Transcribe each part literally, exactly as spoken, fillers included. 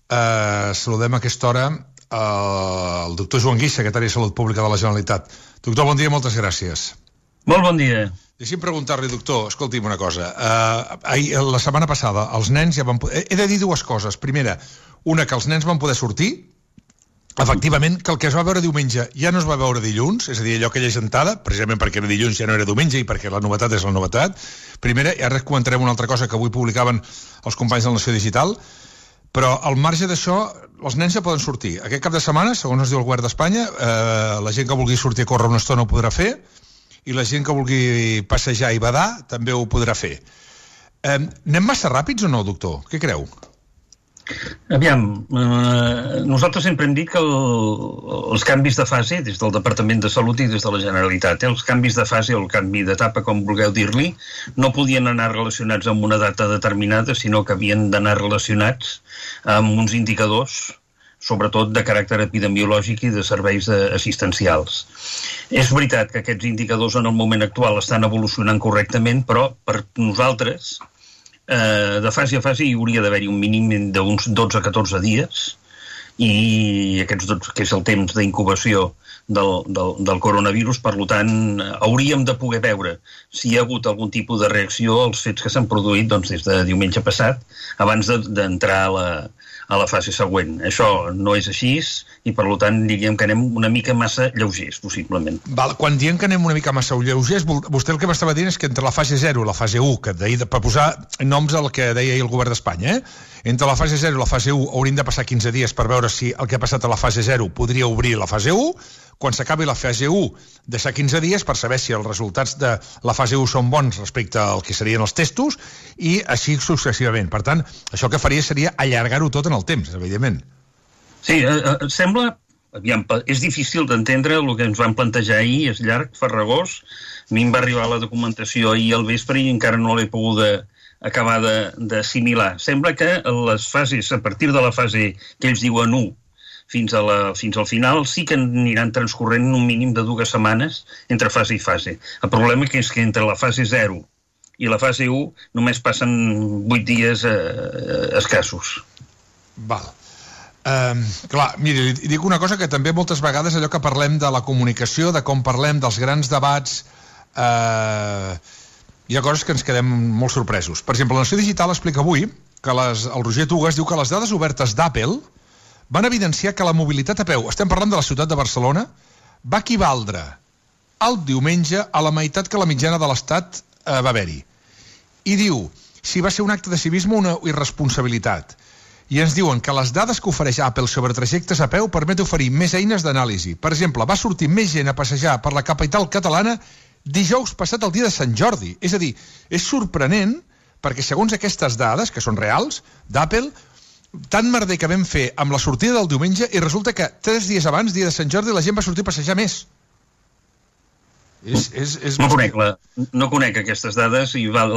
Eh, saludem a aquesta hora eh, el doctor Joan Guix, secretari de Salut Pública de la Generalitat. Doctor, bon dia, moltes gràcies. Molt bon dia. Deixi'm preguntar-li, doctor, escolti'm una cosa. Uh, ahir, la setmana passada, els nens ja van poder... He de dir dues coses. Primera, una, que els nens van poder sortir. Efectivament, que el que es va veure diumenge ja no es va veure dilluns, és a dir, allò que llegentada, precisament perquè era dilluns ja no era diumenge i perquè la novetat és la novetat. Primera, i ara comentarem una altra cosa que avui publicaven els companys de la Nació Digital, però al marge d'això, els nens ja poden sortir. Aquest cap de setmana, segons ens diu el govern d'Espanya, eh, la gent que vulgui sortir a córrer una estona ho podrà fer, i la gent que vulgui passejar i badar també ho podrà fer. Eh, anem massa ràpids o no, doctor? Què creu? Aviam, eh, nosaltres sempre hem dit que el, els canvis de fase, des del Departament de Salut i des de la Generalitat, eh, els canvis de fase o el canvi d'etapa, com vulgueu dir-li, no podien anar relacionats amb una data determinada, sinó que havien d'anar relacionats amb uns indicadors, sobretot de caràcter epidemiològic i de serveis assistencials. És veritat que aquests indicadors en el moment actual estan evolucionant correctament, però per nosaltres, eh, de fase a fase hi hauria d'haver-hi un mínim d'uns dotze a catorze dies, i aquests dotze, que és el temps d'incubació del, del, del coronavirus, per tant, hauríem de poder veure si hi ha hagut algun tipus de reacció als fets que s'han produït doncs, des de diumenge passat, abans d'entrar a la a la fase següent. Això no és així i, per tant, diríem que anem una mica massa lleugers, possiblement. Val, quan diem que anem una mica massa lleugers, vostè el que m'estava dient és que entre la fase zero i la fase u, que deia, per posar noms al que deia ahir el govern d'Espanya, eh? Entre la fase zero i la fase u haurien de passar quinze dies per veure si el que ha passat a la fase zero podria obrir la fase u, quan s'acabi la fase u, deixar quinze dies per saber si els resultats de la fase u són bons respecte al que serien els testos, i així successivament. Per tant, això que faria seria allargar-ho tot en el temps, evidentment. Sí, eh, sembla... Aviam, és difícil d'entendre el que ens van plantejar ahir, és llarg, farragós. A mi em va arribar la documentació ahir al vespre i encara no l'he pogut acabar d'assimilar. Sembla que les fases, a partir de la fase que ells diuen u, fins, a la, fins al final, sí que aniran transcorrent un mínim de dues setmanes entre fase i fase. El problema és que entre la fase zero i la fase u només passen vuit dies eh, escassos. Val. Um, clar, miri, dic una cosa que també moltes vegades allò que parlem de la comunicació, de com parlem dels grans debats, eh, hi ha coses que ens quedem molt sorpresos. Per exemple, la Nació Digital explica avui que les, el Roger Tugas diu que les dades obertes d'Apple van evidenciar que la mobilitat a peu, estem parlant de la ciutat de Barcelona, va equivaldre el diumenge a la meitat que la mitjana de l'Estat eh, va haver-hi. I diu, si va ser un acte de civisme o una irresponsabilitat. I ens diuen que les dades que ofereix Apple sobre trajectes a peu permet oferir més eines d'anàlisi. Per exemple, va sortir més gent a passejar per la capital catalana dijous passat el dia de Sant Jordi. És a dir, és sorprenent perquè segons aquestes dades, que són reals, d'Apple, tant merder que vam fer amb la sortida del diumenge i resulta que tres dies abans, dia de Sant Jordi, la gent va sortir a passejar més. És, és, és no, conec la, no conec aquestes dades i val,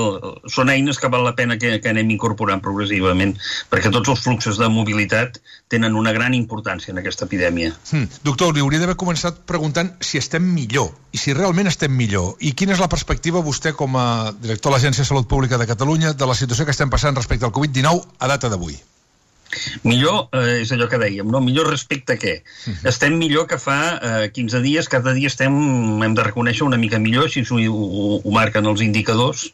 són eines que val la pena que, que anem incorporant progressivament, perquè tots els fluxos de mobilitat tenen una gran importància en aquesta epidèmia. Hmm. Doctor, li hauria d'haver començat preguntant si estem millor, i si realment estem millor, i quina és la perspectiva vostè com a director de l'Agència de Salut Pública de Catalunya de la situació que estem passant respecte al covid dinou a data d'avui. Millor, eh, és allò que dèiem, no? Millor respecte a què? Uh-huh. Estem millor que fa eh, quinze dies, cada dia estem, hem de reconèixer, una mica millor, així ho, ho, ho marquen els indicadors,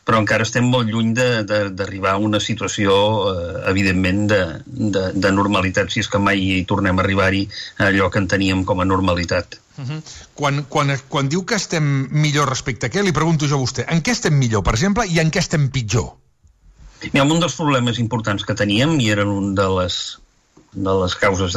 però encara estem molt lluny d'arribar a una situació, eh, evidentment, de, de, de normalitat, si és que mai hi tornem a arribar-hi a allò que en teníem com a normalitat. Uh-huh. Quan, quan, quan diu que estem millor respecte a què, li pregunto jo a vostè, en què estem millor, per exemple, i en què estem pitjor? Mira, un dels problemes importants que teníem, i eren un de les, de les causes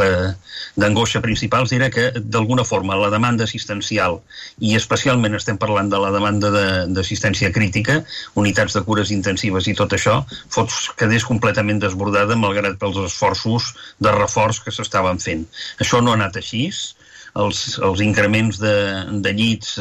d'angoixa principals, era que, d'alguna forma, la demanda assistencial, i especialment estem parlant de la demanda d'assistència crítica, unitats de cures intensives i tot això, fos, quedés completament desbordada malgrat pels esforços de reforç que s'estaven fent. Això no ha anat així. Els, els increments de, de llits...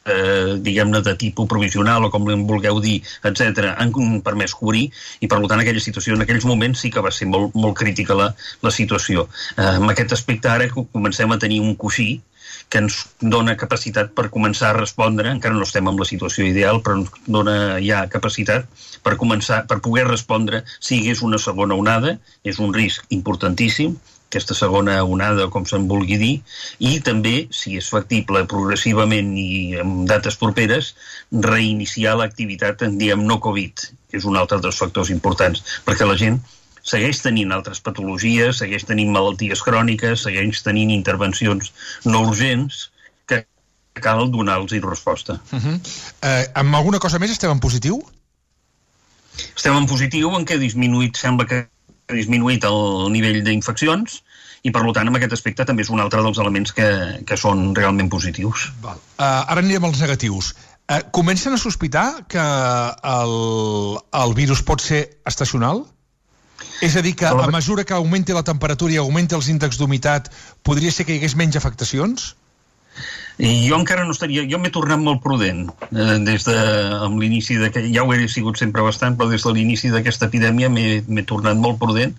Eh, diguem-ne, de tipus provisional o com en vulgueu dir, etcètera, han permès cobrir i, per tant, aquella situació en aquells moments sí que va ser molt, molt crítica la, la situació. Eh, amb aquest aspecte ara comencem a tenir un coixí que ens dona capacitat per començar a respondre, encara no estem en la situació ideal, però ens dona ja capacitat per començar, per poder respondre si hi hagués una segona onada. És un risc importantíssim, aquesta segona onada, com se'n vulgui dir, i també, si és factible progressivament i en dates properes, reiniciar l'activitat en diem no Covid, que és un altre dels factors importants, perquè la gent segueix tenint altres patologies, segueix tenint malalties cròniques, segueix tenint intervencions no urgents que cal donar-los resposta. Uh-huh. eh, amb alguna cosa més estem en positiu? Estem en positiu en què ha disminuït, sembla que ha disminuït el nivell d'infeccions i, per tant, en aquest aspecte també és un altre dels elements que, que són realment positius. Val. Uh, ara anirem als negatius. Uh, comencen a sospitar que el, el virus pot ser estacional? És a dir, que a mesura que augmenti la temperatura i augmenti els índexs d'humitat, podria ser que hi hagués menys afectacions? I jo encara no estaria... Jo m'he tornat molt prudent eh, des de... amb l'inici de... Ja ho he sigut sempre bastant, però des de l'inici d'aquesta epidèmia m'he tornat molt prudent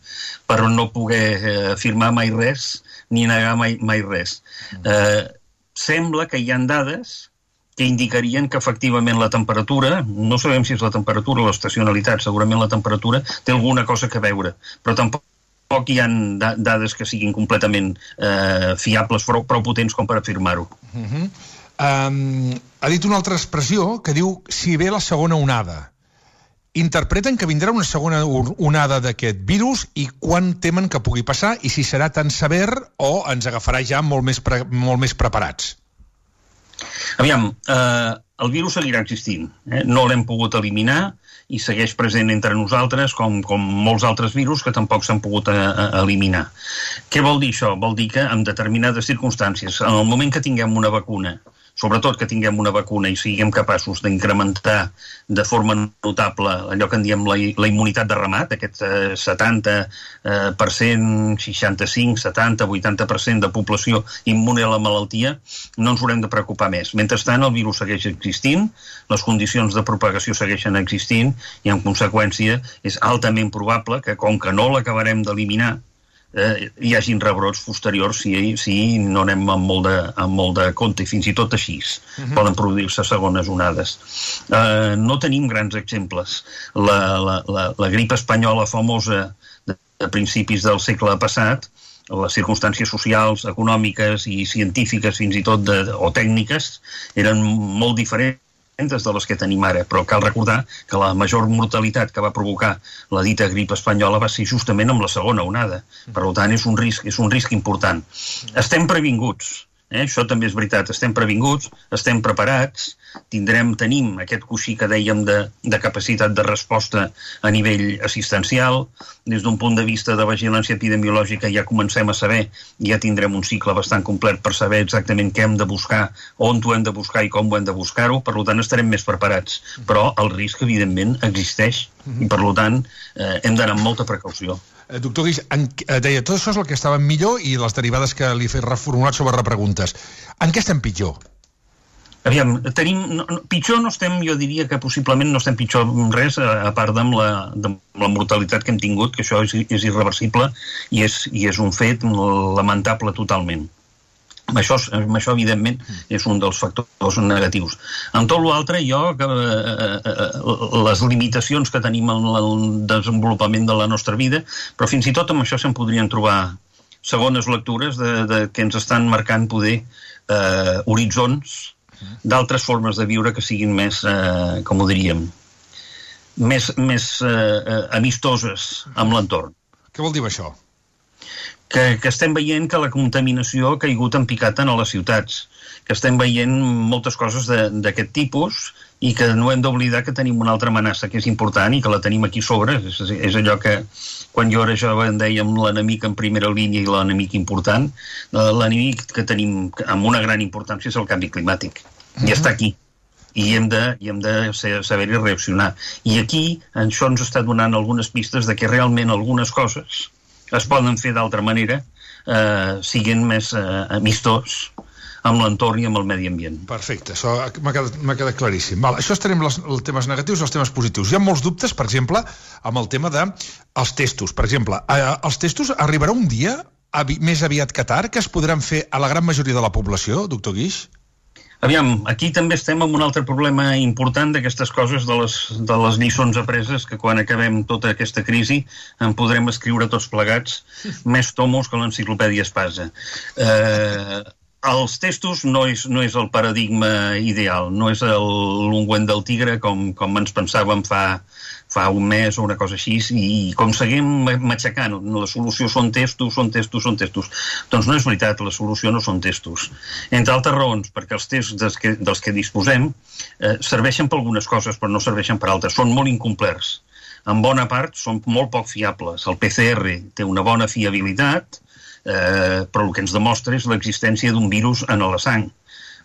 per no poder eh, afirmar mai res ni negar mai, mai res. Eh, sembla que hi ha dades que indicarien que efectivament la temperatura, no sabem si és la temperatura o l'estacionalitat, segurament la temperatura té alguna cosa que veure, però tampoc Poc hi ha da dades que siguin completament eh, fiables, prou, prou potents com per afirmar-ho. Uh-huh. um, ha dit una altra expressió que diu si ve la segona onada. Interpreten que vindrà una segona onada d'aquest virus i quan temen que pugui passar i si serà tan sever o ens agafarà ja molt més, pre molt més preparats? Aviam, eh, el virus seguirà existint. Eh? No l'hem pogut eliminar i segueix present entre nosaltres com, com molts altres virus que tampoc s'han pogut a, a eliminar. Què vol dir això? Vol dir que en determinades circumstàncies, en el moment que tinguem una vacuna, sobretot que tinguem una vacuna i siguem capaços d'incrementar de forma notable allò que en diem la, la immunitat de remat, aquest eh, setanta per cent, seixanta-cinc, setanta, vuitanta per cent de població immune a la malaltia, no ens haurem de preocupar més. Mentrestant, el virus segueix existint, les condicions de propagació segueixen existint i, en conseqüència, és altament probable que, com que no l'acabarem d'eliminar, Eh, hi hagin rebrots posteriors si, si no anem amb molt, de, amb molt de compte i fins i tot així uh-huh. poden produir-se segones onades. Eh, no tenim grans exemples. La, la, la, la grip espanyola famosa de, de principis del segle passat, les circumstàncies socials, econòmiques i científiques fins i tot de, o tècniques eren molt diferents de les que tenim ara, però cal recordar que la major mortalitat que va provocar la dita grip espanyola va ser justament amb la segona onada. Per tant, és un risc, és un risc important. Estem previnguts, eh? Això també és veritat, estem previnguts, estem preparats, tindrem, tenim aquest coixí que dèiem de, de capacitat de resposta a nivell assistencial. Des d'un punt de vista de vigilància epidemiològica ja comencem a saber, ja tindrem un cicle bastant complet per saber exactament què hem de buscar, on ho hem de buscar i com ho hem de buscar-ho, per tant estarem més preparats. Però el risc, evidentment, existeix i, per tant, eh, hem d'anar amb molta precaució. Eh, doctor Guix, en, eh, deia, tot això és el que estava millor i les derivades que li he fet reformulat sobre repreguntes. En què estem pitjor? Aviam, tenim, no, no, pitjor no estem, jo diria que possiblement no estem pitjor res, a, a part de la, de la mortalitat que hem tingut, que això és, és irreversible i és, i és un fet lamentable totalment. Això, això, evidentment, és un dels factors negatius. En tot l'altre, jo, eh, eh, les limitacions que tenim en el desenvolupament de la nostra vida, però fins i tot amb això se'n podrien trobar segones lectures de, de, que ens estan marcant poder eh, horitzons d'altres formes de viure que siguin més, eh, com ho diríem, més, més eh, amistoses amb l'entorn. Què vol dir això? Que, que estem veient que la contaminació ha caigut en picat a les ciutats, que estem veient moltes coses d'aquest tipus i que no hem d'oblidar que tenim una altra amenaça que és important i que la tenim aquí sobre. És, és allò que quan jo era jove en dèiem l'enemic en primera línia i l'enemic important. L'enemic que tenim amb una gran importància és el canvi climàtic. I està aquí. I hem de, i hem de saber-hi reaccionar. I aquí això ens està donant algunes pistes de que realment algunes coses es poden fer d'altra manera, eh, siguin més eh, amistós amb l'entorn i amb el medi ambient. Perfecte, això m'ha quedat, m'ha quedat claríssim. Val, això estarem els, els temes negatius i els temes positius. Hi ha molts dubtes, per exemple, amb el tema dels testos. Per exemple, eh, els testos arribarà un dia avi, més aviat que tard, que es podran fer a la gran majoria de la població, doctor Guix? Aviam, aquí també estem amb un altre problema important d'aquestes coses, de les, de les lliçons apreses, que quan acabem tota aquesta crisi en podrem escriure tots plegats més tomos que l'enciclopèdia Espasa. Eh, els testos no és, no és el paradigma ideal, no és l'ungüent del tigre com, com ens pensàvem fa, fa un mes o una cosa així, i com seguim matxacant, la solució són testos, són testos, són testos. Doncs no és veritat, la solució no són testos. Entre altres raons, perquè els tests dels que, dels que disposem eh, serveixen per algunes coses, però no serveixen per altres. Són molt incomplerts. En bona part són molt poc fiables. El P C R té una bona fiabilitat, eh, però el que ens demostra és l'existència d'un virus en la sang,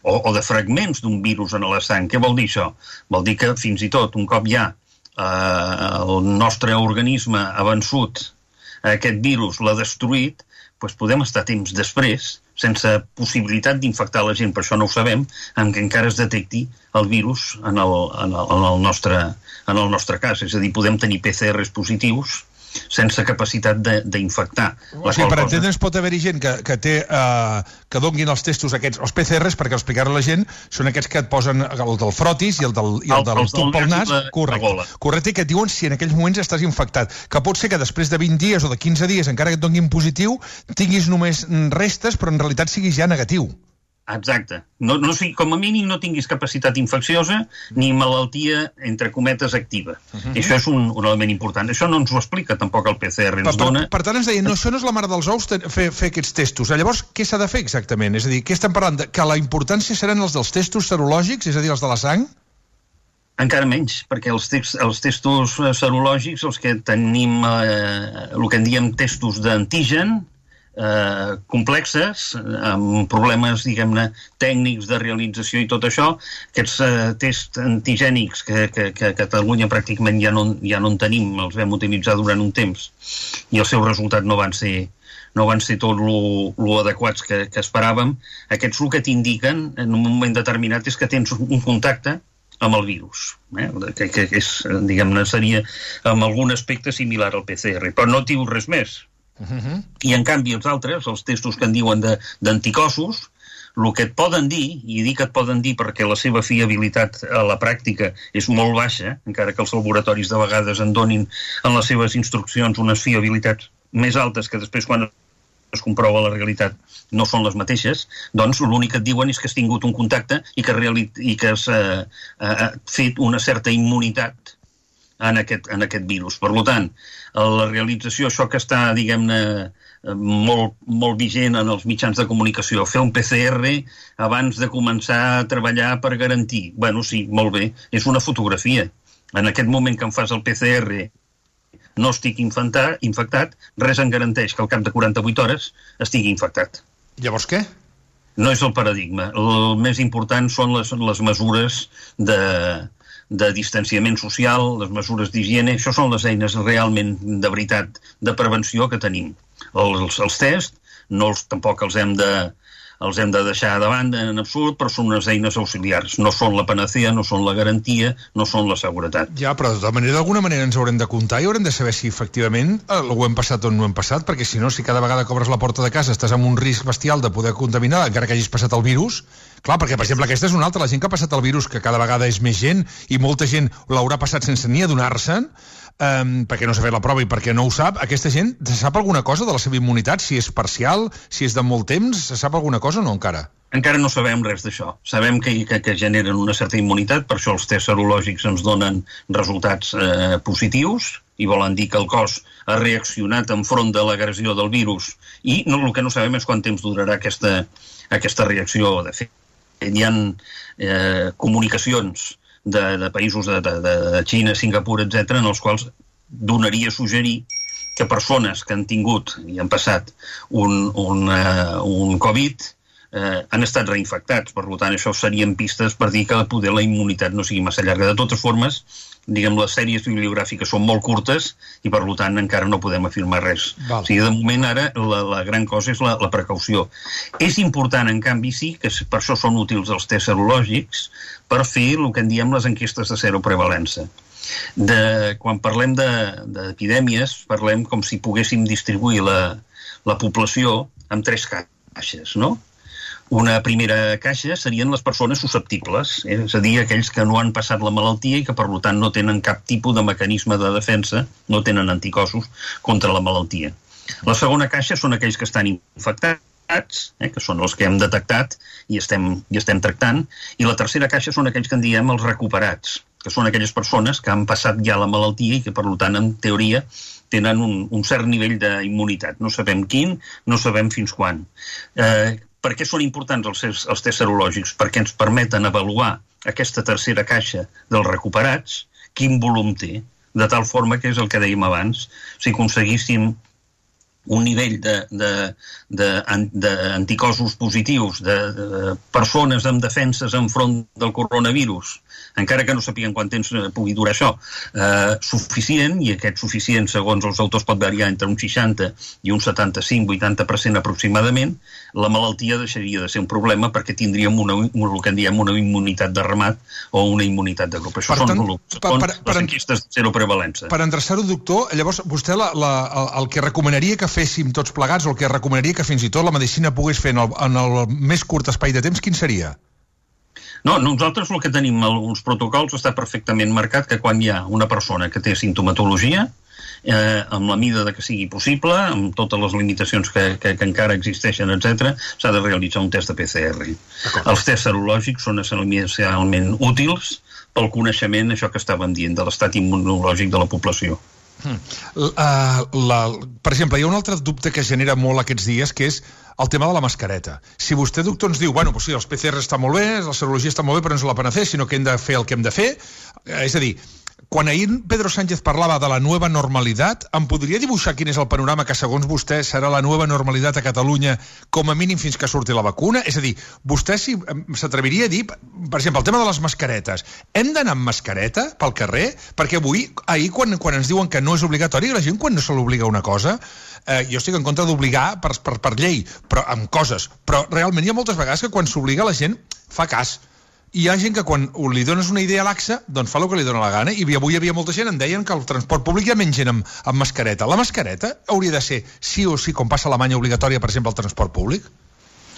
o, o de fragments d'un virus en la sang. Què vol dir això? Vol dir que fins i tot un cop hi ha Uh, el nostre organisme ha vençut aquest virus, l'ha destruït, doncs podem estar temps després, sense possibilitat d'infectar la gent, per això no ho sabem, en què encara es detecti el virus en el, en el, en el, nostre, en el nostre cas. És a dir, podem tenir P C Rs positius sense capacitat d'infectar. O sigui, per entendre'ns, pot haver-hi gent que, que té eh, que donguin els testos aquests, els P C Rs, perquè explicar-ho a la gent, són aquests que et posen el del frotis i el del, i el del tub pel nas, correcte, correcte, que et diuen si en aquells moments estàs infectat, que pot ser que després de vint dies o de quinze dies, encara que et donguin positiu, tinguis només restes, però en realitat siguis ja negatiu. Exacte. No, no, com a mínim no tinguis capacitat infecciosa ni malaltia, entre cometes, activa. Uh-huh. I això és un, un element important. Això no ens ho explica tampoc el P C R. Ens per, dona... per tant, ens deien, no, això no és la mare dels ous fer, fer aquests testos. Llavors, què s'ha de fer exactament? És a dir, què estem parlant? De, que la importància seran els dels testos serològics, és a dir, els de la sang? Encara menys, perquè els, text, els testos serològics, els que tenim, eh, el que en diem testos d'antigen, Eh, complexes, amb problemes, diguem-ne, tècnics de realització i tot això, aquests eh, tests antigènics que, que, que a Catalunya pràcticament ja no, ja no en tenim, els vam utilitzar durant un temps i els seus resultats no van ser no van ser tot lo, lo adequats que, que esperàvem. Aquests el que t'indiquen en un moment determinat és que tens un contacte amb el virus, eh? que, que és, diguem-ne, seria amb algun aspecte similar al P C R, però no diu res més. Uh-huh. I en canvi els altres, els testos que en diuen d'anticossos, el que et poden dir, i dic que et poden dir perquè la seva fiabilitat a la pràctica és molt baixa, encara que els laboratoris de vegades en donin en les seves instruccions unes fiabilitats més altes que després quan es comprova la realitat no són les mateixes, doncs l'únic que et diuen és que has tingut un contacte i que, i que has eh, eh, fet una certa immunitat en aquest, en aquest virus. Per tant, la realització, això que està, diguem-ne, molt, molt vigent en els mitjans de comunicació, fer un P C R abans de començar a treballar per garantir. Bueno, sí, molt bé, és una fotografia. En aquest moment que em fas el P C R no estic infectat, infectat, res em garanteix que al cap de quaranta-vuit hores estigui infectat. Llavors què? No és el paradigma. El més important són les, les mesures de... de distanciament social, les mesures d'higiene, això són les eines realment de veritat de prevenció que tenim. Els, els tests no els, tampoc els hem de els hem de deixar de banda en absolut, però són unes eines auxiliars. No són la panacea, no són la garantia, no són la seguretat. Ja, però de manera, d'alguna manera ens haurem de comptar i haurem de saber si efectivament ho hem passat o no ho hem passat, perquè si no, si cada vegada que obres la porta de casa estàs amb un risc bestial de poder contaminar, encara que hagis passat el virus. Clar, perquè, per exemple, aquesta és una altra. La gent que ha passat el virus, que cada vegada és més gent, i molta gent l'haurà passat sense ni adonar-se'n, um, perquè no s'ha fet la prova i perquè no ho sap, aquesta gent sap alguna cosa de la seva immunitat? Si és parcial, si és de molt temps, se sap alguna cosa o no encara? Encara no sabem res d'això. Sabem que, que, que generen una certa immunitat, per això els tests serològics ens donen resultats eh, positius, i volen dir que el cos ha reaccionat enfront de l'agressió del virus, i no, el que no sabem és quant temps durarà aquesta, aquesta reacció. De fet, hi ha eh, comunicacions de, de països de, de, de Xina, Singapur, etcètera, en els quals donaria a suggerir que persones que han tingut i han passat un, un, uh, un Covid eh, han estat reinfectats. Per tant, això serien pistes per dir que poder la immunitat no sigui massa llarga. De totes formes, diguem, les sèries bibliogràfiques són molt curtes i, per tant, encara no podem afirmar res. Val. O sigui, de moment, ara, la, la gran cosa és la, la precaució. És important, en canvi, sí, que per això són útils els tests serològics, per fer el que en diem les enquestes de seroprevalença. De, quan parlem d'epidèmies, de, parlem com si poguéssim distribuir la, la població en tres caixes, no? Una primera caixa serien les persones susceptibles, eh? És a dir, aquells que no han passat la malaltia i que, per tant, no tenen cap tipus de mecanisme de defensa, no tenen anticossos contra la malaltia. La segona caixa són aquells que estan infectats, eh? que són els que hem detectat i estem, i estem tractant, i la tercera caixa són aquells que en diem els recuperats, que són aquelles persones que han passat ja la malaltia i que, per tant, en teoria, tenen un, un cert nivell d'immunitat. No sabem quin, no sabem fins quan. Eh, Per què són importants els, els tests serològics? Perquè ens permeten avaluar aquesta tercera caixa dels recuperats, quin volum té, de tal forma que és el que dèiem abans, si aconseguíssim un nivell d'anticossos positius, de, de persones amb defenses enfront del coronavirus, encara que no sapiguen quant temps pugui durar això, eh, suficient, i aquest suficient, segons els autors, pot variar entre un seixanta i un setanta-cinc a vuitanta per cent aproximadament, la malaltia deixaria de ser un problema perquè tindríem una, el que en diem una immunitat de ramat o una immunitat de grup. Això per són, tant, són per, per, les enquestes de seroprevalença. Per endreçar-ho, doctor, llavors vostè la, la, el, el que recomanaria que féssim tots plegats, o el que recomanaria que fins i tot la medicina pogués fer en el, en el més curt espai de temps, quin seria? No, nosaltres el que tenim, els protocols, està perfectament marcat que quan hi ha una persona que té sintomatologia, eh, amb la mida de que sigui possible, amb totes les limitacions que, que, que encara existeixen, etcètera, s'ha de realitzar un test de P C R. Els tests serològics són essencialment útils pel coneixement, això que estàvem dient, de l'estat immunològic de la població. Hmm. Uh, la, per exemple, hi ha un altre dubte que es genera molt aquests dies, que és el tema de la mascareta. Si vostè, doctor, ens diu, bueno, pues sí, els P C R està molt bé, la serologia està molt bé, però no és la panacea, sinó que hem de fer el que hem de fer, eh, és a dir, quan ahir Pedro Sánchez parlava de la nueva normalitat, em podria dibuixar quin és el panorama que, segons vostè, serà la nueva normalitat a Catalunya, com a mínim fins que surti la vacuna? És a dir, vostè si, s'atreviria a dir, per exemple, el tema de les mascaretes. Hem d'anar amb mascareta pel carrer? Perquè avui, ahir, quan, quan ens diuen que no és obligatori, la gent quan no se l'obliga una cosa, eh, jo estic en contra d'obligar per, per, per llei, però amb coses. Però realment hi ha moltes vegades que quan s'obliga la gent fa cas. I hi ha gent que quan li dones una idea laxa, doncs fa el que li dona la gana, i avui hi havia molta gent, em deien que el transport públic hi ha menys gent amb, amb mascareta. La mascareta hauria de ser sí o sí, com passa a Alemanya, obligatòria, per exemple, al transport públic?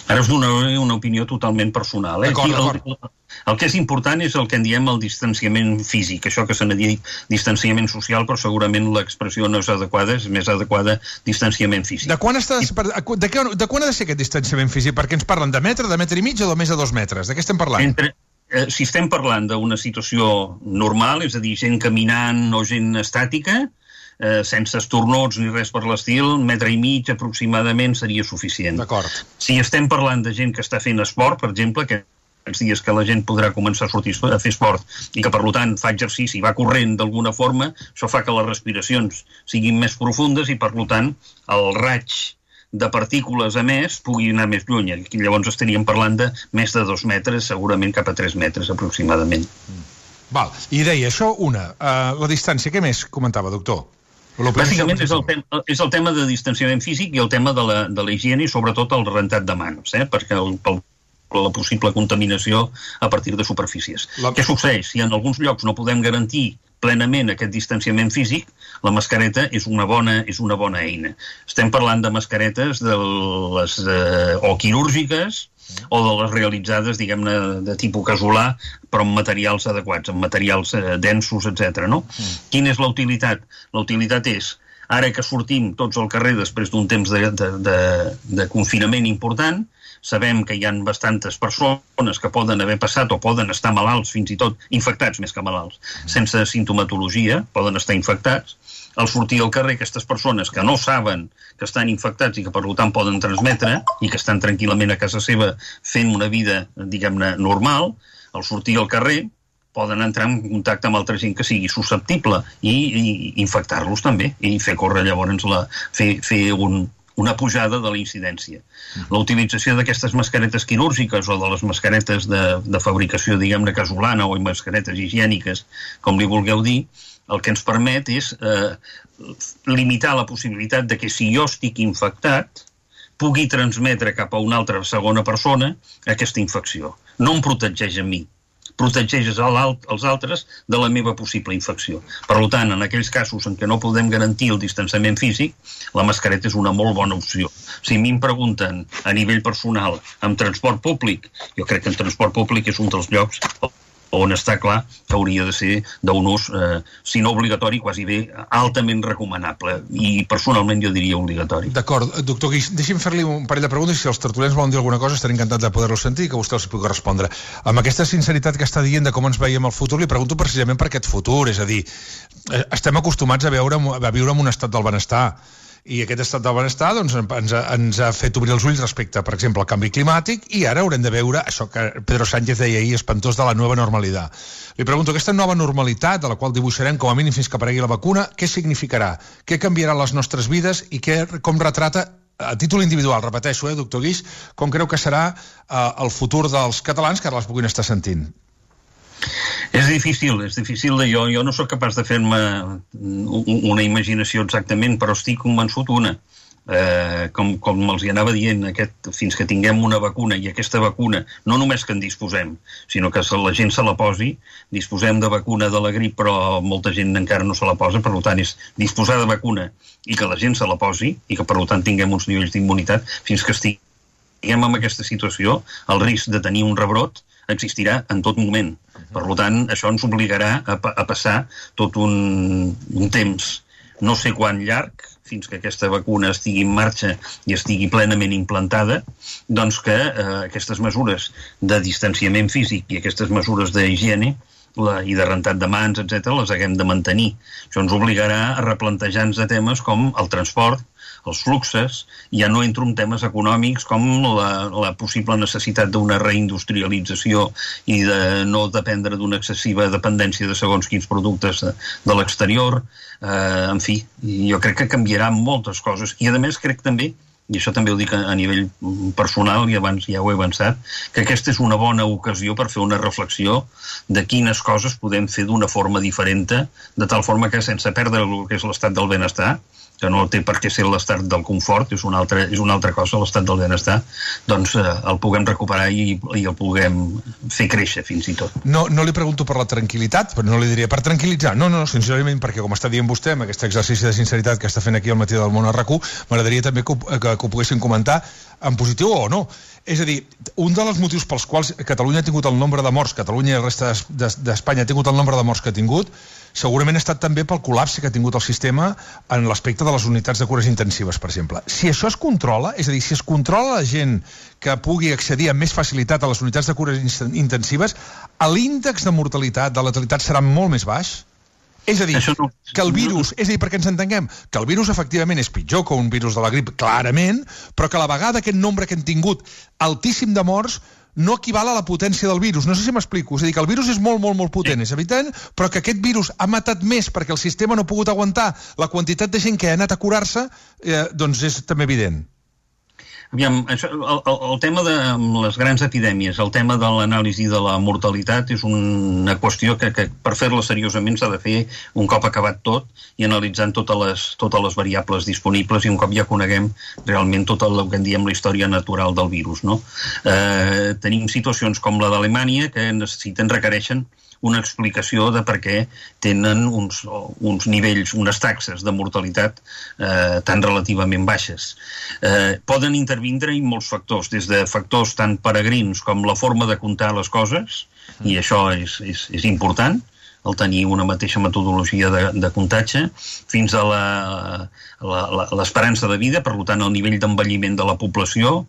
Ara us donaré una opinió totalment personal. Eh? D'acord, d'acord. El, el que és important és el que en diem el distanciament físic, això que se n'ha dit distanciament social, però segurament l'expressió no és adequada, és més adequada distanciament físic. De quan, està, de, què, de quan ha de ser aquest distanciament físic? Perquè ens parlen de metre, de metre i mig o de més de dos metres? De què estem parlant? Entre, eh, si estem parlant d'una situació normal, és a dir, gent caminant o gent estàtica, Eh, sense estornots ni res per l'estil, un metre i mig aproximadament seria suficient. D'acord. Si estem parlant de gent que està fent esport, per exemple, que aquests dies que la gent podrà començar a sortir a fer esport i que, per tant, fa exercici i va corrent d'alguna forma, això fa que les respiracions siguin més profundes i, per tant, el raig de partícules a més pugui anar més lluny. Aquí llavors estaríem parlant de més de dos metres, segurament cap a tres metres aproximadament. Mm. Val. I deia això, una, uh, la distància, què més comentava, doctor? Bàsicament és el, tema, és el tema de distanciament físic i el tema de la, de la higiene i sobretot el rentat de mans, eh? Perquè el, pel, la possible contaminació a partir de superfícies. La... Què succeeix? Si en alguns llocs no podem garantir plenament aquest distanciament físic, la mascareta és una bona, és una bona eina. Estem parlant de mascaretes de les, eh, o quirúrgiques o de les realitzades, diguem-ne, de tipus casolà, però amb materials adequats, amb materials eh, densos, etcètera. No? Mm. Quina és la utilitat? La utilitat és, ara que sortim tots al carrer després d'un temps de, de, de, de confinament important, sabem que hi ha bastantes persones que poden haver passat o poden estar malalts, fins i tot infectats més que malalts, sense simptomatologia, poden estar infectats. Al sortir al carrer, aquestes persones que no saben que estan infectats i que per tant poden transmetre i que estan tranquil·lament a casa seva fent una vida, diguem-ne, normal, al sortir al carrer poden entrar en contacte amb altra gent que sigui susceptible i, i infectar-los també i fer córrer llavors la, fer, fer un, una pujada de la incidència. La utilització d'aquestes mascaretes quirúrgiques o de les mascaretes de, de fabricació, diguem-ne, casolana o mascaretes higièniques, com li vulgueu dir, el que ens permet és eh, limitar la possibilitat de que si jo estic infectat pugui transmetre cap a una altra segona persona aquesta infecció. No em protegeix a mi, protegeix els altres de la meva possible infecció. Per tant, en aquells casos en què no podem garantir el distanciament físic, la mascareta és una molt bona opció. Si a mi em pregunten a nivell personal amb transport públic, jo crec que en transport públic és un dels llocs on està clar que hauria de ser d'un ús, eh, si no obligatori, quasi bé altament recomanable. I personalment jo diria obligatori. D'acord. Doctor Guix, deixi'm fer-li un parell de preguntes i si els tertulians volen dir alguna cosa estaré encantat de poder-lo sentir i que vostè els pugui respondre. Amb aquesta sinceritat que està dient de com ens veiem al futur, li pregunto precisament per aquest futur, és a dir, estem acostumats a, veure, a viure en un estat del benestar, i aquest estat del benestar doncs, ens, ha, ens ha fet obrir els ulls respecte, per exemple, al canvi climàtic, i ara haurem de veure això que Pedro Sánchez deia ahir, espantós, de la nova normalitat. Li pregunto, aquesta nova normalitat, de la qual dibuixarem com a mínim fins que aparegui la vacuna, què significarà? Què canviarà les nostres vides i què, com retrata, a títol individual, repeteixo, eh, doctor Guix, com creu que serà eh, el futur dels catalans que ara les puguin estar sentint? És difícil, és difícil. Jo, jo no sóc capaç de fer-me una imaginació exactament, però estic convençut una. Eh, com, com els hi anava dient, aquest, fins que tinguem una vacuna, i aquesta vacuna, no només que en disposem, sinó que la gent se la posi, disposem de vacuna de la grip, però molta gent encara no se la posa, per tant és disposar de vacuna i que la gent se la posi, i que per tant tinguem uns nivells d'immunitat, fins que estiguem en aquesta situació, el risc de tenir un rebrot existirà en tot moment. Per tant, això ens obligarà a, pa a passar tot un, un temps, no sé quan llarg, fins que aquesta vacuna estigui en marxa i estigui plenament implantada, doncs que eh, aquestes mesures de distanciament físic i aquestes mesures d'higiene la, i de rentat de mans, etcètera, les haguem de mantenir. Això ens obligarà a replantejar-nos de temes com el transport, els fluxes, ja no entro en temes econòmics com la, la possible necessitat d'una reindustrialització i de no dependre d'una excessiva dependència de segons quins productes de, de l'exterior. Eh, en fi, jo crec que canviarà moltes coses. I a més crec també, i això també ho dic a nivell personal, i abans ja ho he avançat, que aquesta és una bona ocasió per fer una reflexió de quines coses podem fer d'una forma diferent, de tal forma que sense perdre el que és l'estat del benestar, que no té per què ser l'estat del confort, és una altra, és una altra cosa, l'estat del benestar, doncs eh, el puguem recuperar i, i el puguem fer créixer fins i tot. No, no li pregunto per la tranquil·litat, però no li diria per tranquil·litzar, no, no, sincerament, perquè com està dient vostè, amb aquest exercici de sinceritat que està fent aquí al matí del Món a RAC u, m'agradaria també que, que, que ho poguessin comentar en positiu o no. És a dir, un dels motius pels quals Catalunya ha tingut el nombre de morts, Catalunya i el reste d'Espanya ha tingut el nombre de morts que ha tingut, segurament ha estat també pel col·lapse que ha tingut el sistema en l'aspecte de les unitats de cures intensives, per exemple. Si això es controla, és a dir, si es controla la gent que pugui accedir amb més facilitat a les unitats de cures intensives, l'índex de mortalitat, de letalitat serà molt més baix? És a dir, no, que el virus, és a dir, perquè ens entenguem, que el virus efectivament és pitjor que un virus de la grip, clarament, però que a la vegada aquest nombre que hem tingut altíssim de morts no equival a la potència del virus. No sé si m'explico. És a dir, que el virus és molt, molt, molt potent, és evident, però que aquest virus ha matat més perquè el sistema no ha pogut aguantar la quantitat de gent que ha anat a curar-se, eh, doncs és també evident. Aviam, això, el, el, el tema de les grans epidèmies, el tema de l'anàlisi de la mortalitat és una qüestió que, que per fer-la seriosament s'ha de fer un cop acabat tot i analitzant totes les, totes les variables disponibles i un cop ja coneguem realment tot el que en diem la història natural del virus, no? Eh, tenim situacions com la d'Alemanya que necessiten, requereixen una explicació de per què tenen uns, uns nivells, unes taxes de mortalitat eh, tan relativament baixes. Eh, poden intervindre en molts factors, des de factors tan peregrins com la forma de comptar les coses, i això és, és, és important, el tenir una mateixa metodologia de, de comptatge, fins a l'esperança de vida, per tant, el nivell d'envelliment de la població,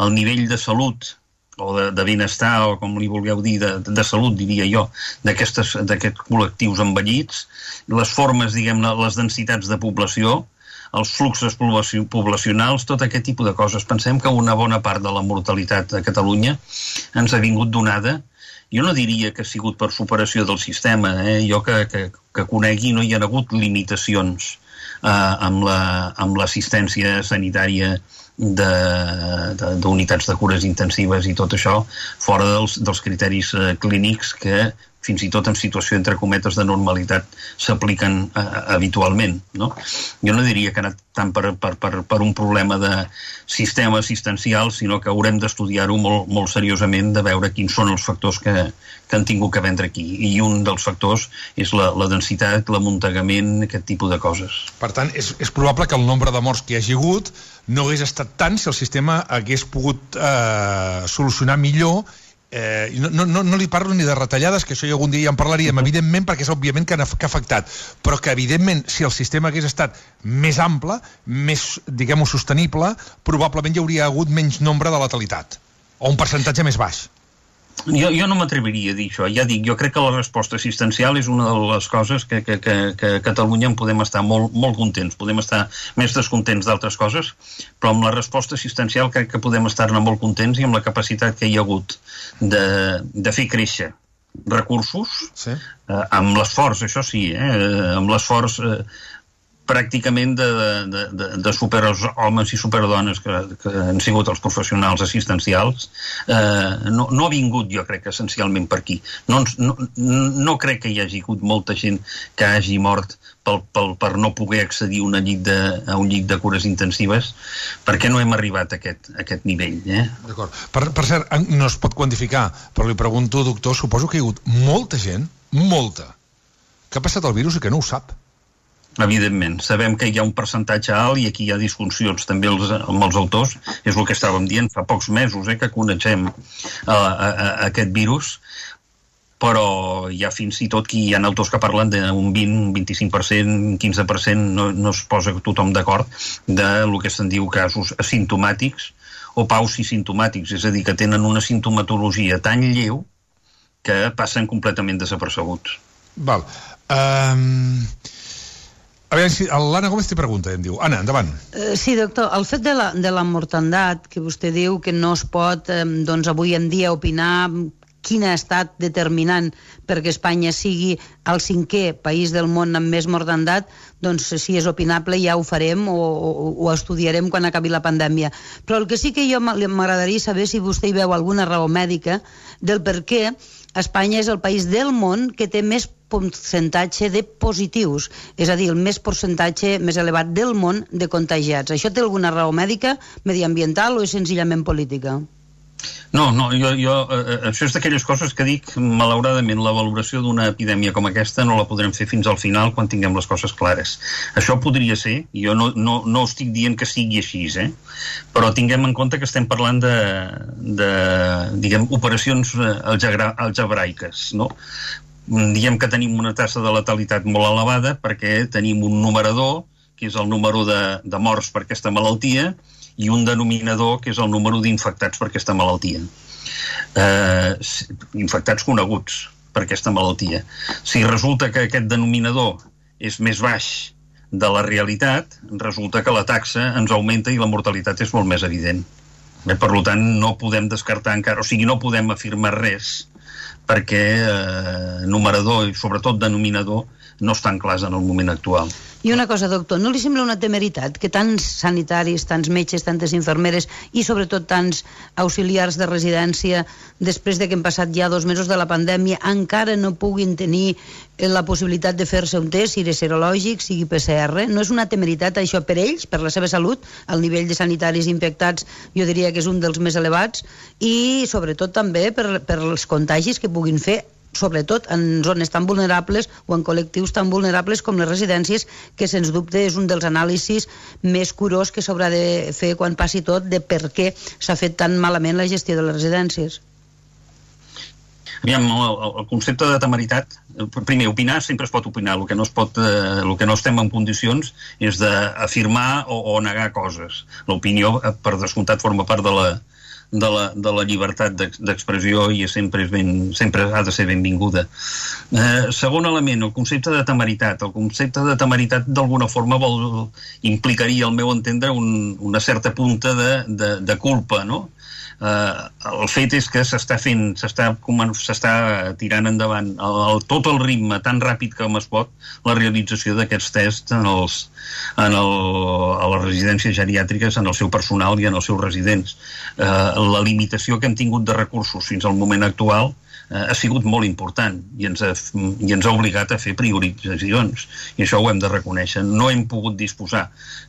el nivell de salut o de, de benestar, o com li vulgueu dir, de, de salut, diria jo, d'aquests col·lectius envellits, les formes, diguem-ne, les densitats de població, els fluxos poblacionals, tot aquest tipus de coses. Pensem que una bona part de la mortalitat a Catalunya ens ha vingut donada. Jo no diria que ha sigut per superació del sistema, eh? Jo que, que, que conegui no hi ha hagut limitacions eh, amb l'assistència la, sanitària d'unitats de, de, de cures intensives i tot això, fora dels, dels criteris eh, clínics que fins i tot en situació entre cometes de normalitat s'apliquen uh, habitualment, no? Jo no diria que ha anat tant per, per, per, per un problema de sistema assistencial, sinó que haurem d'estudiar-ho molt, molt seriosament, de veure quins són els factors que, que han tingut que vendre aquí. I un dels factors és la, la densitat, l'amuntegament, aquest tipus de coses. Per tant, és, és probable que el nombre de morts que hi hagi hagut no hagués estat tant si el sistema hagués pogut eh, solucionar millor. Eh, no, no, no li parlo ni de retallades, que això ja algun dia ja en parlaríem, evidentment, perquè és òbviament que ha, que ha afectat, però que evidentment si el sistema hagués estat més ample, més, diguem-ho, sostenible, probablement hi hauria hagut menys nombre de letalitat, o un percentatge més baix. Jo, jo no m'atreviria a dir això, ja dic, jo crec que la resposta assistencial és una de les coses que, que, que, que a Catalunya en podem estar molt, molt contents, podem estar més descontents d'altres coses, però amb la resposta assistencial crec que podem estar-ne molt contents i amb la capacitat que hi ha hagut de, de fer créixer recursos, sí. eh, amb l'esforç, això sí, eh, amb l'esforç eh, pràcticament de, de, de, de superhomes i superdones que, que han sigut els professionals assistencials, eh, no, no ha vingut, jo crec, essencialment per aquí. No, no, no crec que hi hagi hagut molta gent que hagi mort pel, pel, per no poder accedir una llit de, a un llit de cures intensives, perquè no hem arribat a aquest, a aquest nivell. Eh? D'acord. Per, per cert, no es pot quantificar, però li pregunto, doctor, suposo que hi ha hagut molta gent, molta, que ha passat el virus i que no ho sap. Evidentment, sabem que hi ha un percentatge alt i aquí hi ha disfuncions també els, amb els autors, és el que estàvem dient fa pocs mesos, eh, que coneixem uh, a, a, a aquest virus, però hi ha fins i tot que hi ha autors que parlen d'un vint, un vint-i-cinc per cent, un quinze per cent, no, no es posa tothom d'acord, de lo que se'n diu casos asimptomàtics o pausimptomàtics, és a dir, que tenen una sintomatologia tan lleu que passen completament desapercebuts. Val. Um... A veure, si l'Anna Gómez té pregunta, em diu. Anna, endavant. Uh, sí, doctor, el fet de la, de la mortandat, que vostè diu que no es pot, eh, doncs, avui en dia opinar quin ha estat determinant perquè Espanya sigui el cinquè país del món amb més mortandat, doncs si és opinable ja ho farem o, o, o estudiarem quan acabi la pandèmia. Però el que sí que jo m'agradaria saber si vostè hi veu alguna raó mèdica del per què Espanya és el país del món que té més percentatge de positius, és a dir, el més percentatge més elevat del món de contagiats. Això té alguna raó mèdica, mediambiental o és senzillament política? No, no, jo, jo, eh, això és d'aquelles coses que dic, malauradament, la valoració d'una epidèmia com aquesta no la podrem fer fins al final quan tinguem les coses clares. Això podria ser, jo no, no, no estic dient que sigui així, eh? Però tinguem en compte que estem parlant de, de diguem, operacions algebra, algebraiques, no? Diem que tenim una tassa de letalitat molt elevada perquè tenim un numerador, que és el número de, de morts per aquesta malaltia, i un denominador, que és el número d'infectats per aquesta malaltia. Eh, infectats coneguts per aquesta malaltia. Si resulta que aquest denominador és més baix de la realitat, resulta que la taxa ens augmenta i la mortalitat és molt més evident. Eh, per tant, no podem descartar encara, o sigui, no podem afirmar res, perquè eh, numerador i sobretot denominador no estan clars en el moment actual. I una cosa, doctor, no li sembla una temeritat que tants sanitaris, tants metges, tantes infermeres i sobretot tants auxiliars de residència, després de que hem passat ja dos mesos de la pandèmia, encara no puguin tenir la possibilitat de fer-se un test, sigui serològic, sigui P C R? No és una temeritat això per ells, per la seva salut? El nivell de sanitaris infectats jo diria que és un dels més elevats i sobretot també per, per els contagis que puguin fer, sobretot en zones tan vulnerables o en col·lectius tan vulnerables com les residències, que sens dubte és un dels anàlisis més curós que s'haurà de fer quan passi tot, de per què s'ha fet tan malament la gestió de les residències. Aviam, el, el concepte de temeritat, primer, opinar sempre es pot opinar, el que no, es pot, eh, el que no estem en condicions és d'afirmar o, o negar coses. L'opinió, per descomptat, forma part de la, de la, de la llibertat d'expressió i sempre, és ben, sempre ha de ser benvinguda. Eh, segon element, el concepte de temeritat. El concepte de temeritat d'alguna forma vol, implicaria, al meu entendre, un, una certa punta de, de, de culpa, no? Uh, el fet és que s'està fent, s'està tirant endavant el, el, tot el ritme tan ràpid com es pot, la realització d'aquests tests en, els, en el, a les residències geriàtriques, en el seu personal i en els seus residents. Uh, la limitació que hem tingut de recursos fins al moment actual ha sigut molt important i ens, ha, i ens ha obligat a fer prioritzacions, i això ho hem de reconèixer. No hem pogut disposar,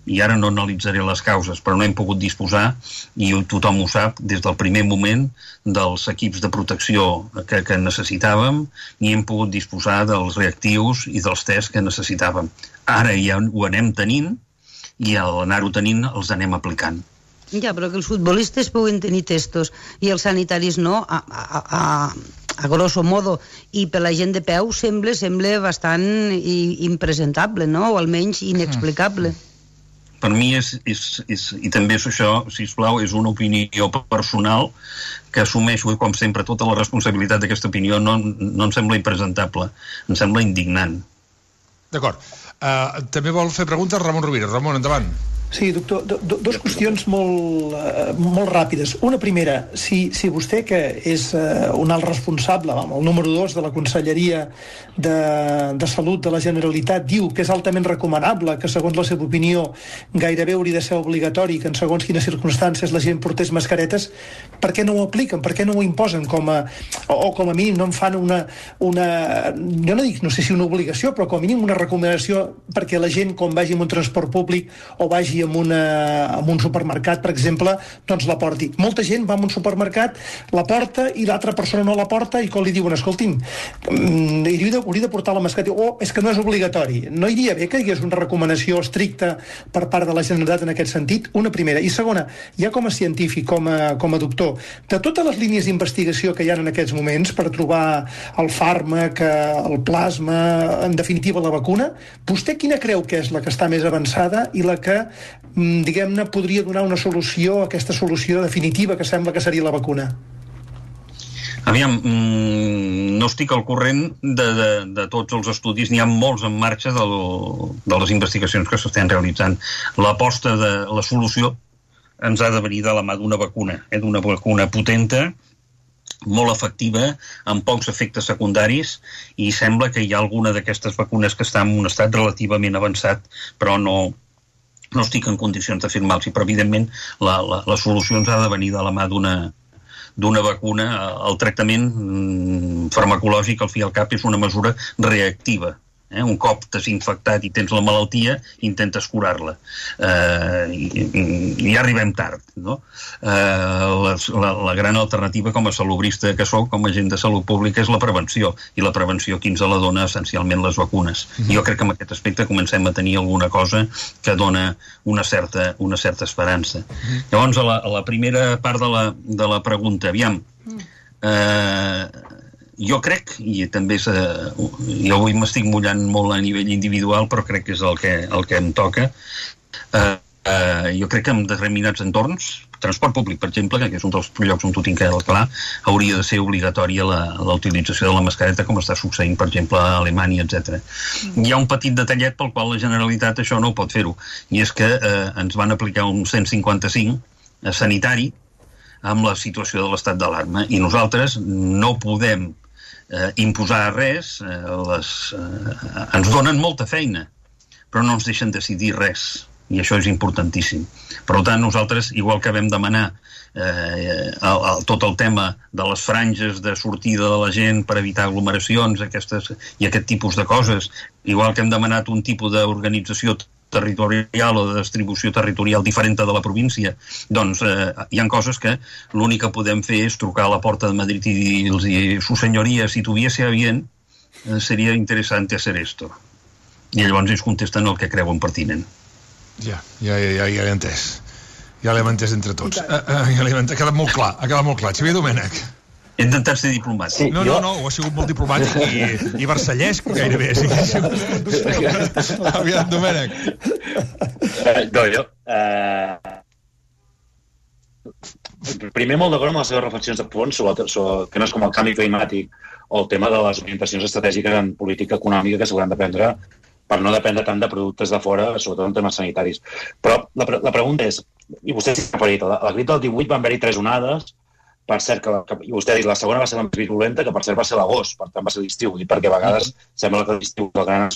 i ara no analitzaré les causes, però no hem pogut disposar, i tothom ho sap, des del primer moment dels equips de protecció que, que necessitàvem, ni hem pogut disposar dels reactius i dels tests que necessitàvem. Ara ja ho anem tenint, i al anar-ho tenint els anem aplicant. Ja, però que els futbolistes puguen tenir testos i els sanitaris no, a, a, a, a grosso modo, i per la gent de peu sembla, sembla bastant impresentable, no? O almenys inexplicable. Per mi és, és, és i també és això, sisplau, és una opinió personal que assumeixo, com sempre, tota la responsabilitat d'aquesta opinió no, no em sembla impresentable, em sembla indignant. D'acord. Uh, també vol fer preguntes Ramon Rovira. Ramon, endavant. Sí, doctor, do, do, dos qüestions molt, uh, molt ràpides. Una primera, si, si vostè, que és uh, un alt responsable, el número dos de la Conselleria de, de Salut de la Generalitat, diu que és altament recomanable, que segons la seva opinió gairebé hauria de ser obligatori, que en segons quines circumstàncies la gent portés mascaretes, per què no ho apliquen? Per què no ho imposen? Com a, o, o com a mínim no en fan una, una... Jo no dic, no sé si una obligació, però com a mínim una recomanació perquè la gent, quan vagi en un transport públic o vagi en, una, en un supermercat, per exemple, doncs la porti. Molta gent va a un supermercat, la porta i l'altra persona no la porta, i quan li diuen, escolti'm, hauria de, hauria de portar la mascareta, o oh, és que no és obligatori. No iria bé que hi hagués una recomanació estricta per part de la Generalitat en aquest sentit? Una primera. I segona, ja com a científic, com a, com a doctor, de totes les línies d'investigació que hi ha en aquests moments per trobar el fàrmac, el plasma, en definitiva la vacuna, vostè quina creu que és la que està més avançada i la que, diguem-ne, podria donar una solució, aquesta solució definitiva que sembla que seria la vacuna? Aviam, no estic al corrent de, de, de tots els estudis, n'hi ha molts en marxa de, lo, de les investigacions que s'estan realitzant. L'aposta de la solució ens ha de venir de la mà d'una vacuna, eh, d'una vacuna potenta, molt efectiva, amb pocs efectes secundaris, i sembla que hi ha alguna d'aquestes vacunes que està en un estat relativament avançat, però no, no estic en condicions d'afirmar-los, però evidentment la, la, la solució ens ha de venir de la mà d'una d'una vacuna. El tractament farmacològic, al fi i al cap, és una mesura reactiva. Eh? Un cop t'has infectat i tens la malaltia, intentes curar-la. Eh, i, I ja arribem tard, no? Eh, les, la, la gran alternativa com a salubrista que soc, com a agent de salut pública, és la prevenció. I la prevenció qui ens la dona essencialment les vacunes. Mm-hmm. Jo crec que en aquest aspecte comencem a tenir alguna cosa que dona una certa, una certa esperança. Mm-hmm. Llavors, a la, a la primera part de la, de la pregunta, aviam... Eh, jo crec, i també és, eh, jo avui m'estic mullant molt a nivell individual, però crec que és el que, el que em toca, eh, eh, jo crec que en determinats entorns, transport públic, per exemple, que és un dels llocs on ho tinc clar, hauria de ser obligatòria la, la utilització de la mascareta, com està succeint, per exemple, a Alemanya, etcètera. Mm. Hi ha un petit detallet pel qual la Generalitat això no pot fer-ho, i és que eh, ens van aplicar un cent cinquanta-cinc eh, sanitari amb la situació de l'estat d'alarma, i nosaltres no podem Eh, imposar res, eh, les, eh, ens donen molta feina, però no ens deixen decidir res, i això és importantíssim. Per tant, nosaltres, igual que vam demanar eh, el, el, tot el tema de les franges de sortida de la gent per evitar aglomeracions aquestes, i aquest tipus de coses, igual que hem demanat un tipus d'organització territorial o de distribució territorial diferent de la província, doncs eh, hi ha coses que l'únic que podem fer és trucar a la porta de Madrid i dir-los, su senyoria, si tuviese a bien, eh, seria interessante hacer esto. I llavors ells contesten el que creuen pertinent. Ja, ja, ja, ja, ja l'he entès. Ja l'hem entès entre tots. Uh, uh, ja l'hem entès. Ha quedat molt clar, ha quedat molt clar. Xavier Domènech. He intentat ser diplomàtic. Sí, no, no, no, ho ha sigut molt diplomàtic i, i versallesc, gairebé. Sí, sí. Aviam, Domènech. Uh, no, jo... Uh... Primer, molt d'acord amb les seves reflexions de fons sobre, sobre que no és com el canvi climàtic o el tema de les orientacions estratègiques en política econòmica que s'hauran de prendre per no dependre tant de productes de fora, sobretot en temes sanitaris. Però la, la pregunta és, i vostè s'ha referit, a la grip del divuit van haver-hi tres onades, per cert, que, que, i vostè ha dit, la segona va ser la més virulenta, que per cert va ser l'agost, per tant va ser l'estiu, i perquè a vegades sembla que l'estiu és el gran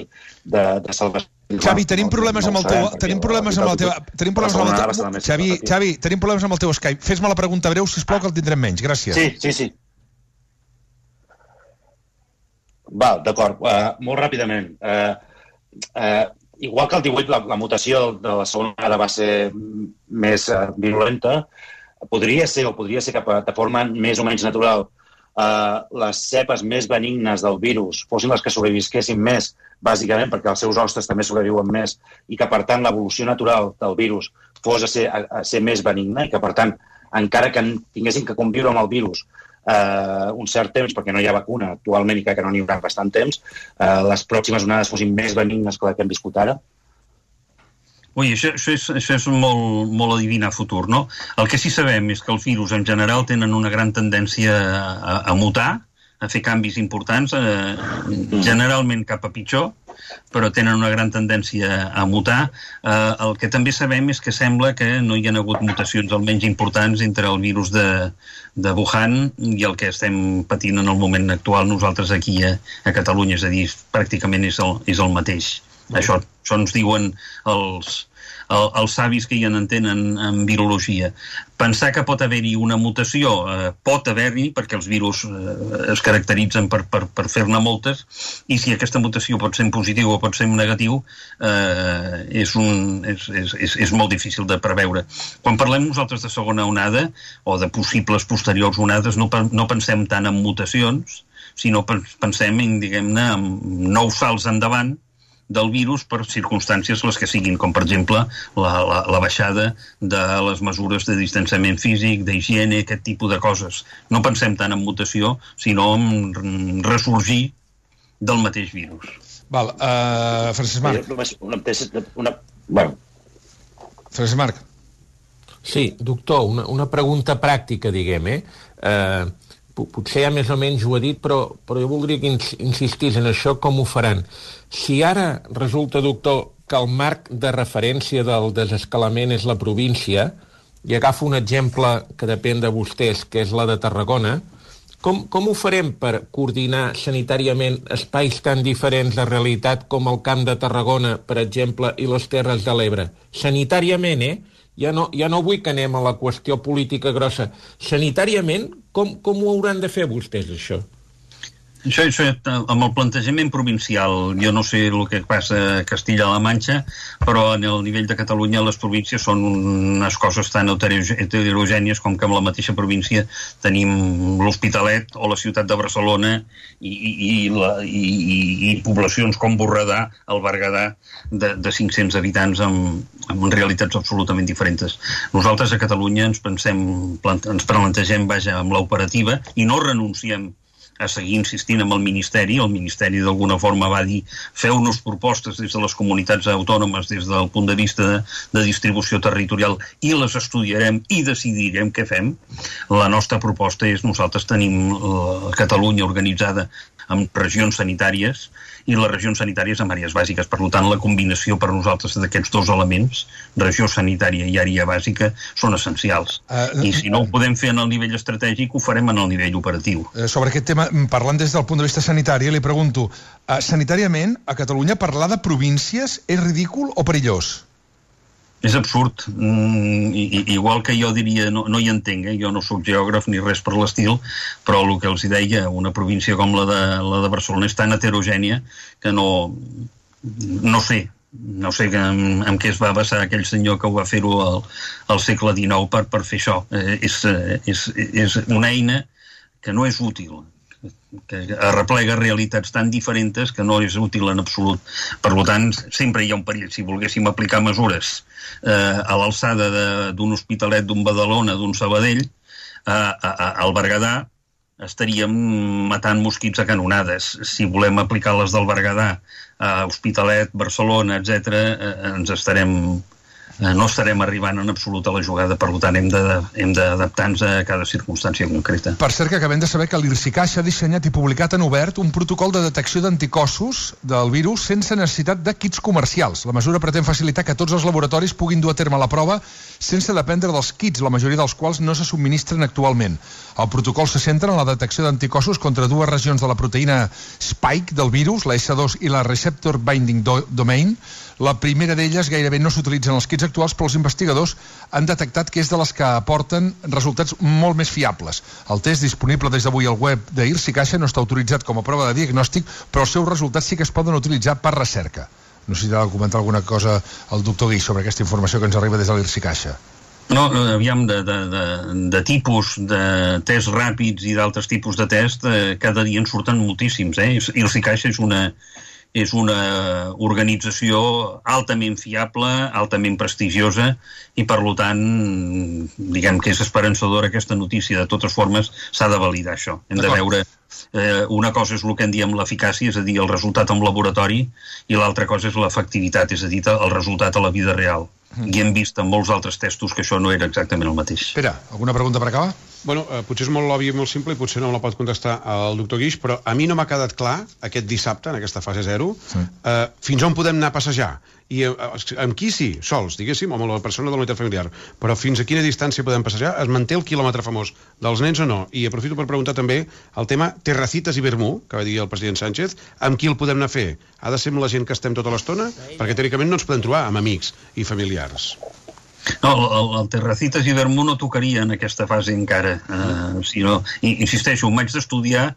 de, de salvació Xavi, tenim problemes amb el teu... Tenim problemes amb la teva... Tenim problemes amb el teu... Xavi, Xavi, tenim problemes amb el teu Skype. Fes-me la pregunta breu, sisplau, que el tindrem menys. Gràcies. Sí, sí, sí. Val, d'acord. Uh, molt ràpidament. Uh, uh, igual que el divuit, la, la mutació de la segona vegada va ser més uh, virulenta, podria ser, o podria ser que de forma més o menys natural Uh, les cepes més benignes del virus fossin les que sobrevisquessin més, bàsicament perquè els seus hostes també sobreviuen més, i que, per tant, l'evolució natural del virus fos a ser, a, a ser més benigna, i que, per tant, encara que tinguessin que conviure amb el virus uh, un cert temps, perquè no hi ha vacuna actualment i crec que no n'hi haurà bastant temps, uh, les pròximes onades fossin més benignes que la que hem viscut ara. Ui, això, això, és, això és molt, molt adivinar futur, no? El que sí sabem és que els virus en general tenen una gran tendència a, a mutar, a fer canvis importants, eh, generalment cap a pitjor, però tenen una gran tendència a mutar. Eh, el que també sabem és que sembla que no hi ha hagut mutacions almenys importants entre el virus de, de Wuhan i el que estem patint en el moment actual nosaltres aquí a, a Catalunya, és a dir, pràcticament és el, és el mateix. Això, això ens diuen els, el, els savis que hi en entenen en virologia. Pensar que pot haver-hi una mutació, eh, pot haver-hi, perquè els virus eh, es caracteritzen per, per, per fer-ne moltes, i si aquesta mutació pot ser en positiu o pot ser en negatiu, eh, és, un, és, és, és, és molt difícil de preveure. Quan parlem nosaltres de segona onada, o de possibles posteriors onades, no, no pensem tant en mutacions, sinó pensem en, diguem-ne, en nous salts endavant del virus per circumstàncies les que siguin, com per exemple la, la, la baixada de les mesures de distanciament físic, d'higiene, aquest tipus de coses. No pensem tant en mutació, sinó en ressorgir del mateix virus. Val, uh, Francesc Marc. Una, una, bueno. Francesc Marc. Sí, doctor, una, una pregunta pràctica, diguem, eh? Uh, potser ja més o menys ho ha dit, però, però jo voldria que insistís en això, com ho faran. Si ara resulta, doctor, que el marc de referència del desescalament és la província, i agafo un exemple que depèn de vostès, que és la de Tarragona, com, com ho farem per coordinar sanitàriament espais tan diferents de realitat com el Camp de Tarragona, per exemple, i les Terres de l'Ebre? Sanitàriament, eh? Ja no, ja no vull que anem a la qüestió política grossa. Sanitàriament, com, com ho hauran de fer vostès, això? Això, això, amb el plantejament provincial, jo no sé el que passa a Castilla-La Manxa, però en el nivell de Catalunya les províncies són unes coses tan heterogènies com que en la mateixa província tenim l'Hospitalet o la ciutat de Barcelona i, i, i, la, i, i, i poblacions com Borredà, el Berguedà, de, de cinc-cents habitants amb, amb realitats absolutament diferents. Nosaltres a Catalunya ens pensem, ens plantegem, vaja, amb l'operativa i no renunciem a seguir insistint amb el Ministeri. El Ministeri d'alguna forma va dir feu-nos propostes des de les comunitats autònomes des del punt de vista de, de distribució territorial i les estudiarem i decidirem què fem. La nostra proposta és, nosaltres tenim uh, Catalunya organitzada en regions sanitàries i les regions sanitàries en àrees bàsiques. Per tant, la combinació per nosaltres d'aquests dos elements, regió sanitària i àrea bàsica, són essencials. Uh, I si no ho podem fer en el nivell estratègic, ho farem en el nivell operatiu. Uh, sobre aquest tema, parlant des del punt de vista sanitari, li pregunto, uh, sanitàriament, a Catalunya parlar de províncies és ridícul o perillós? És absurd. Mm, i, igual que jo diria, no, no hi entenc, eh? Jo no sóc geògraf ni res per l'estil, però el que els deia, una província com la de, la de Barcelona és tan heterogènia que no, no sé, no sé en, en què es va basar aquell senyor que ho va fer-ho al, al segle dinou per, per fer això. Eh, és, és, és una eina que no és útil, que arreplega realitats tan diferents que no és útil en absolut. Per tant, sempre hi ha un perill. Si volguéssim aplicar mesures eh, a l'alçada d'un Hospitalet, d'un Badalona, d'un Sabadell, eh, a, a, al Berguedà estaríem matant mosquits a canonades. Si volem aplicar les del Berguedà a Hospitalet, Barcelona, etcètera, eh, ens estarem... no estarem arribant en absolut a la jugada, per tant hem d'adaptar-nos a cada circumstància concreta. Per cert, que acabem de saber que l'IRSICAix ha dissenyat i publicat en obert un protocol de detecció d'anticossos del virus sense necessitat de kits comercials. La mesura pretén facilitar que tots els laboratoris puguin dur a terme la prova sense dependre dels kits, la majoria dels quals no se subministren actualment. El protocol se centra en la detecció d'anticossos contra dues regions de la proteïna spike del virus, la essa dos i la receptor binding do domain. La primera d'elles gairebé no s'utilitza en els kits actuals, però els investigadors han detectat que és de les que aporten resultats molt més fiables. El test, disponible des d'avui al web d'Irsi Caixa, no està autoritzat com a prova de diagnòstic, però els seus resultats sí que es poden utilitzar per recerca. No sé si ha de comentar alguna cosa el doctor Guix sobre aquesta informació que ens arriba des de l'Irsi Caixa. No, aviam, de, de, de, de tipus de tests ràpids i d'altres tipus de test, eh, cada dia en surten moltíssims, eh? Irsi Caixa és una, és una organització altament fiable, altament prestigiosa, i per tant, diguem que és esperançadora aquesta notícia. De totes formes, s'ha de validar això. Hem de veure... Eh, una cosa és el que en diem l'eficàcia, és a dir, el resultat en laboratori, i l'altra cosa és l'efectivitat, és a dir, el resultat a la vida real. Mm. I hem vist en molts altres testos que això no era exactament el mateix. Espera, alguna pregunta per acabar? Bueno, eh, potser és molt obvi i molt simple i potser no me la pot contestar el doctor Guix, però a mi no m'ha quedat clar aquest dissabte, en aquesta fase zero, sí. eh, fins on podem anar a passejar. I eh, amb qui sí, sols, diguéssim, o amb la persona de la unitat familiar, però fins a quina distància podem passejar? Es manté el quilòmetre famós dels nens o no? I aprofito per preguntar també el tema Terracitas i Vermú, que va dir el president Sánchez, amb qui el podem anar a fer? Ha de ser amb la gent que estem tota l'estona? Perquè teòricament no ens podem trobar amb amics i familiars. No, el, el Terracitas i Vermú no tocaria en aquesta fase encara, eh, sinó, insisteixo, em vaig d'estudiar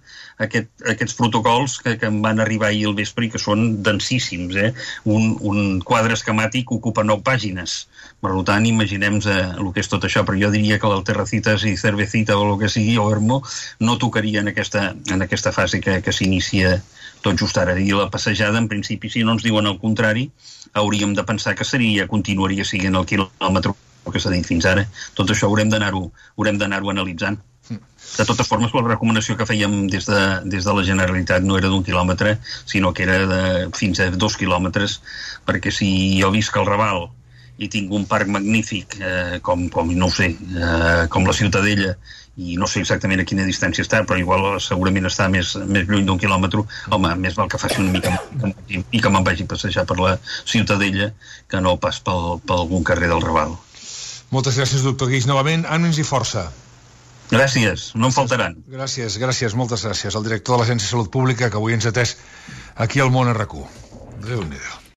aquest, aquests protocols que, que em van arribar ahir al vespre i que són densíssims, eh? Un, un quadre esquemàtic ocupa nou pàgines, per tant, imaginem-nos eh, el que és tot això, però jo diria que el Terracitas i Cervecita o el que sigui, o Vermú, no tocaria en aquesta, en aquesta fase que, que s'inicia tot just ara. I la passejada, en principi, si no ens diuen el contrari, hauríem de pensar que seria, continuaria siguent el quilòmetre que s'ha dit fins ara. Tot això haurem d'anar-ho haurem d'anar-ho analitzant. De totes formes, la recomanació que fèiem des de, des de la Generalitat no era d'un quilòmetre, sinó que era de fins a dos quilòmetres, perquè si jo visc al Raval i tinc un parc magnífic, eh, com, com, no ho sé, eh, com la Ciutadella, i no sé exactament a quina distància està, però igual segurament està més, més lluny d'un quilòmetre, home, més val que faci una mica i, i que me'n vagi a passejar per la Ciutadella que no pas pel, per algun carrer del Raval. Moltes gràcies, doctor Guix. Novament, ànims i força. Gràcies, no en faltaran. Gràcies, gràcies, moltes gràcies. El director de l'Agència de Salut Pública, que avui ens ha atès aquí al Món R Q. Déu-n'hi-do.